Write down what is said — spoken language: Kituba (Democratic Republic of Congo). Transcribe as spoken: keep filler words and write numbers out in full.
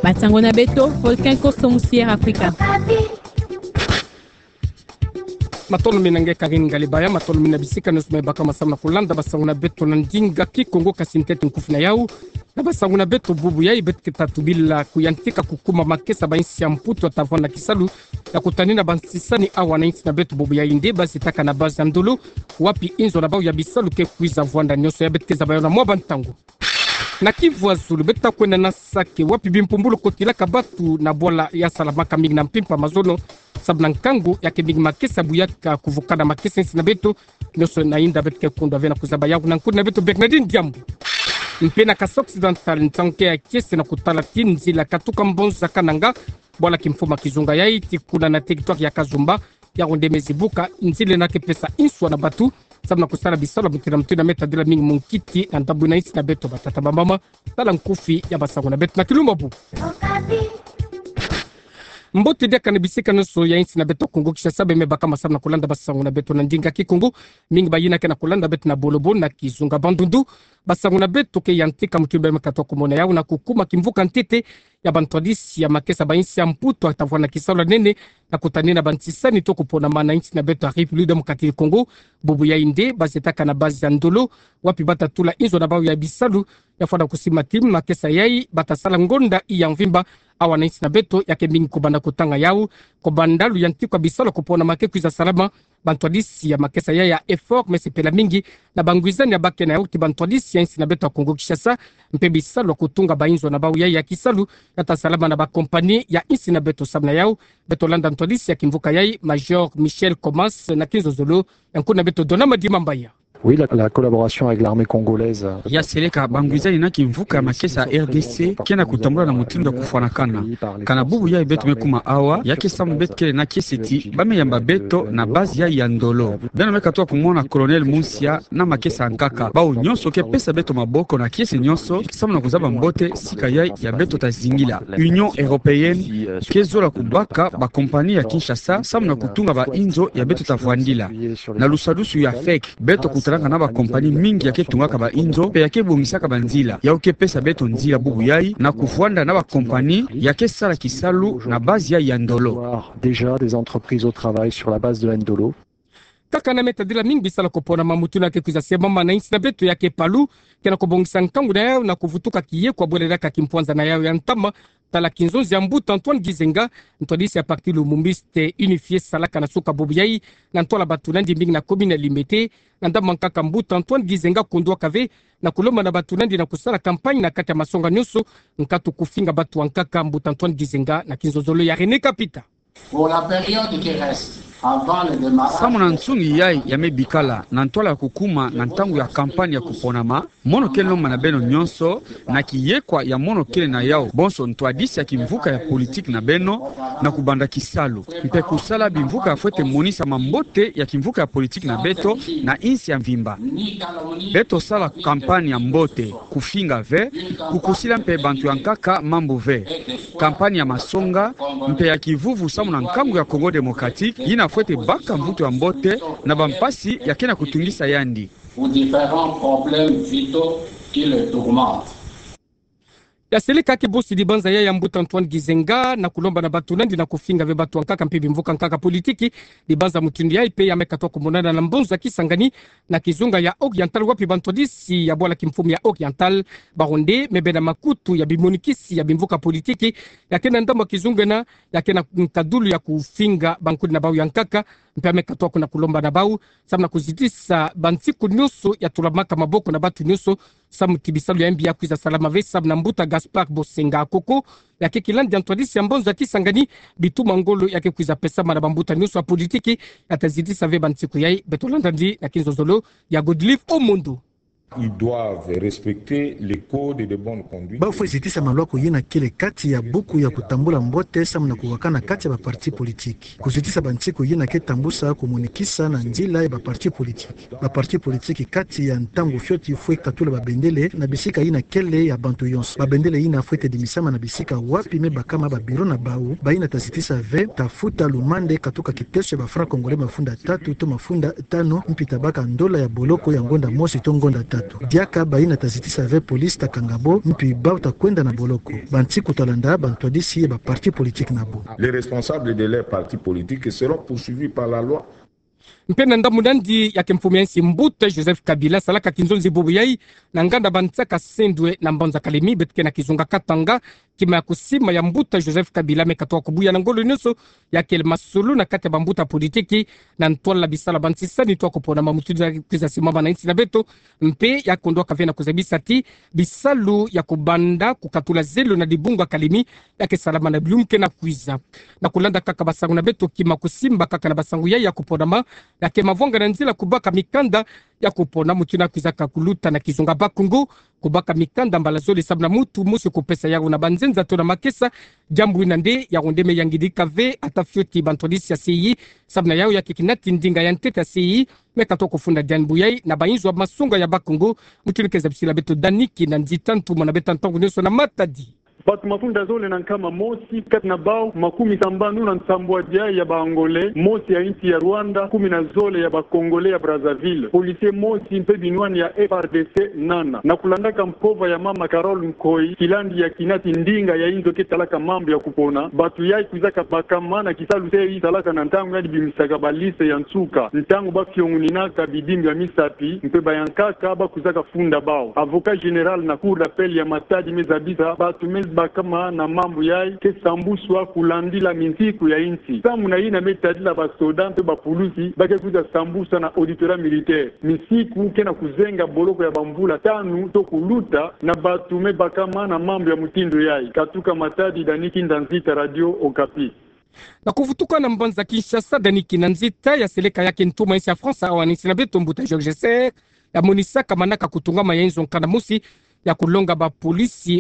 Basango na beto, Volcan Koso Musier Africa. Matono mina nge Karine Ngalibaya, matono mina bisika nyonso me baka masamu na kulanda basango na beto na ndinga Kikongo. Kasi ntete nkufi na yau na basango na beto bubu yai, beto ke ta tubila kuyantika kukuma makesa ba insi ya Mputu ta vwanda kisalu ya kutanina bansisani awa na insi na beto bubu yai nde ba zitaka na base ya Ndolo, wapi inzo na bau ya bisalu ke kwiza vwanda nyonso. Ya beto ke zaba yau na mwa bantangu. Na Kivu ya Zulu, beto ta kwenda na Sake, wapi bimpumbulu kotilaka batu na bwala ya salamaka mingi na mpimpa mazono, samu na nkangu ya ke mingi makesa buyaka kuvukana makesa insi na beto nyonso. Na inda beto ke kundwa ve na kuzaba yau na nkudi na beto Bernardine Diambu. Mpe na Kasaï Occidental, ntangu ke ya kiese na kutala ti nzila katuka Mbonza Kananga, bwala kimfuma kizunga yai ti kuna na territoire ya Kazumba, yau nde me zibuka, nzila ena ke pesa inswa na batu samu na kusala bisalu ya mutindu na mutindu. Me tadila mingi munkiti na ndambu na insi na beto, batata, bamama. Tala nkufi ya basango na beto na kilumbu bubu. Mbote diaka na bisika nyonso ya insi na beto Kongo Kinshasa, beno me baka masamu na kulanda basango na beto na ndinga Kikongo. Mingi bayina ke na kulanda beto na Bolobo na kizunga Bandundu. Basango na beto ke yantika mutindu beno me katuka kumona yau na kukuma kimvuka ntete ya bantwadisi ya makesa ba insi ya Mputu ta vwanda kisalu ya nene na kutanina bansisani to kuponama na insi na beto ya République Démocratique du Congo. Bubu yai nde ba zitaka na base ya Ndolo, wapi ba ta tula inzo na bau ya bisalu ya fwana kusimba ti makesa yai ba ta sala ngonda ya mvimba. Awa na insi na beto ya ke mingi kubanda kutanga yau, kubanda luyantikwa bisalu ya kuponama ke kwiza salama. Bantwadisi ya makesa yai ya Effort me sepela mingi na bangwizani ya ba ke na yau ti bantwadisi ya insi na beto ya Kongo Kinshasa, mpe bisalu ya kutunga ba inzo na bau yai ya kisalu ya ta salama na ba compagnie ya insi na beto. Samu na yau, beto landa ntwadisi ya kimvuka yai, Major Michel Comas, na kinzonzolo ya nkudi na beto Donama Dimambaya. Oui, la, la collaboration avec l'armée congolaise. Ya seleka, bangwizani na kimvuka ya makesa ya R D C ke na kutambula na mutindu ya kufwanakana. Kana bubu yai beto me kuma awa, ya ke samu beto kele na kiese ti ba me yamba beto na base yai ya Ndolo. Beno me katuka kumona Colonel Munsia na makesa ya nkaka. Bau nyonso ke pesa beto maboko na kiese nyonso samu na kuzaba mbote sika yai ya beto ta zingila. Union Européenne ke zola kubaka ba compagnie ya Kinshasa samu na kutunga ba inzo ya beto ta vwandila. Na lusadusu ya fek, beto kutanaka na ba compagnie mingi ya ke tungaka ba inzo mpe ya ke bongisaka banzila. Yau ke pesa beto nzila bubu yai na kuvwanda na ba compagnie ya ke sala kisalu na base yai ya Ndolo. Déjà des entreprises au travail sur la base de Ndolo. Kaka na me tadila mingi bisalu ya kuponama, mutindu ya ke kwiza semama na insi na beto ya ke Palu, ke na kubongisa nkangu na yau na kuvutuka kiyekwa bwele diaka kimpwanza na yau ya ntama. Tala kinzonzi ya Mbuta Antoine Gizenga, ntwadisi ya parti Lumumbiste Unifié, salaka na suka bubu yai na ntwala batu nandi mingi na commune ya Limete. Na ndambu ya nkaka, Mbuta Antoine Gizenga kundwaka ve na kulomba na batu nandi na kusala campagne na kati ya masonga nyonso, nkatu kufinga batu ya nkaka. Mbuta Antoine Gizenga na kinzonzolo ya René Kapita. Pour la période qui reste avant le démarrage. Samu na nsungi yai ya me bikala na ntwala ya kukuma na ntangu ya campagne ya kuponama, mono ke lomba na beno nyonso, na kiyekwa ya mono kele na yau, bonso ntwadisi ya kimvuka ya politique na beno, na kubanda kisalu mpe kusala bimvuka ya fwete monisama mbote ya kimvuka ya politique na beto na insi ya mvimba. Beto sala campagne ya mbote, kufinga ve, kukusila mpe bantu ya nkaka mambu ve. Campagne ya masonga mpe ya kivuvu samu na nkangu ya Congo Démocratique yina fwete baka mvutu ya mbote na bampasi ya ke na kutungisa yandi. Pour différents problèmes vitaux qui le tourmentent. Ya seleka ke bosi dibanza yai ya Mbuta Antoine Gizenga na kulomba na batu nandi na kufinga ve batu ya nkaka mpe bimvuka ya nkaka politique. Dibanza mutindu yai mpe ya me katuka kumonana na mbonza Kisangani, na kizunga ya Oriental, wapi bantwadisi ya bwala kimfumu ya Oriental, bawu nde me bena makutu ya bimonikisi ya bimvuka politique ya ke na ndambu ya kizunga ena, ya ke na nkadulu ya kufinga bankudi na bawu ya nkaka. Mpe ya me katuka kuna kulomba na bawu samu na kuzitisa bansiku nyonso ya tulamaka maboko na batu nyonso, samu ti bisalu ya mbi ya kwiza salama ve, samu na Mbuta Gaspard Bosenga Koko, ya ke kilandi ya ntwadisi ya mbonza Kisangani, bituma ngolo ya ke kwiza pesama na bambuta nyonso ya politique, ya ta zitisa ve bansiku yai. Beto landa nandi na kinzonzolo ya Godlive Omondo. Ils doivent respecter les codes de bonne conduite. Bawu fwe zitisa malwaku yina kele kati ya buku ya kutambula mbote samu na kuwakana kati ya baparti politique. Kuzitisa bansiku yina ke tambusa kumonikisa na nzila ya baparti politique. Baparti politique kati ya ntangu fioti fwe katula babendele na bisika yina kele ya bantu yonso. Babendele yina fwete dimisama na bisika wapi me bakama babiro na bawu, bayina ta zitisa ve ta futa lumande katuka kiteso ya bafranc congolais mafunda tatu to mafunda tanu, mpi ta baka ndola ya boloko ya ngonda mosi to ngonda tanu. Diaka bayina ta zitisa ve police ta kanga bo, mpi bau ta kwenda na boloko. Bansiku ta landa, bantwadisi ya ba parti politique na bo. Les responsables de leur parti politique seront poursuivis par la loi. Mpe na ndambu nandi ya ke mfumu ya nsi mbuta Joseph Kabila salaka kinzonzi bubu yai na nganda bansaka sendwe na mbanza Kalemi, beto ke na kizunga Katanga, kima ya kusimba ya mbuta Joseph Kabila me katoka kubuya na ngolo nyonso ya kele masolo na kati ya bambuta politiki na ntwala bisalu ya bansisani twa kupona ma mutindu ya kwiza simama na nsi na beto, mpe ya kondwaka ve na kuzabisa ti bisalu ya kubanda kukatula zelo na dibunga Kalemi ya ke salama na bilumbu ke na kwiza. Na kulanda kaka basangu na beto, kima kusimba kaka na basangu yai ya kuponama, ya ke mavwanga na nzila kubaka mikanda ya kupona mutindu ya kwizaka kuluta na kizunga Bakongo, kubaka mikanda mbala zole samu na muntu mosi kupesa yawu na banzenza to na makesa. Diambu ina nde ya wonde me yangidika ve ata fioti bantwadisi ya C I, samu na yawu ya ke kinati ndinga ya ntete ya C I me katoka kufunda diambu yai na bayinzo ya masonga ya Bakongo. Mutindu ke zabisila beto Dani Kinanzita, ntumwa na beto ntangu nyonso na Matadi. Bato mafunda zole na nkama mosi, kati na bau makumi sambanu na nsambwadi ya ba Angolais, mosi ya nsi ya Rwanda, kumi na zole ya ba Congolais ya Brazzaville, policier mosi mpe binwani ya F R D C nana. Na kulandaka mpova ya mama Carole Nkoy, kilandi ya kinati ndinga ya inzo ke talaka mambu ya kupona, bato yai kwizaka bakama na kisalu C I salaka na ntangu yandi bimisaka ba liste ya nsuka, ntangu ba fiongoninaka bidimbu ya misapi, mpe bayankaka ba kwizaka funda bau. Avocat général na Cour d'appel ya Matadi me zabisa bato me bakama na mambu yai ke sambuswa kulandila minsiku ya insi. Samu na yina me tadila ba soda mpe ba pulusi ba ke kwiza sambuswa na auditorat militaire. Minsiku ke na kuzenga boloko ya bamvula tanu to kuluta na bato me bakama na mambu ya mutindu yai. Katuka Matadi, Dani Kinanzita, Radio Okapi. Na kuvutuka na mbanza Kinshasa, Dani Kinanzita, ya seleka ya ke ntumwa ya nsi ya France awa na nsi na beto, mbuta Georges Serre, ya monisaka manaka kutungama ya inzo nkanda mosi ya kulonga ba polisi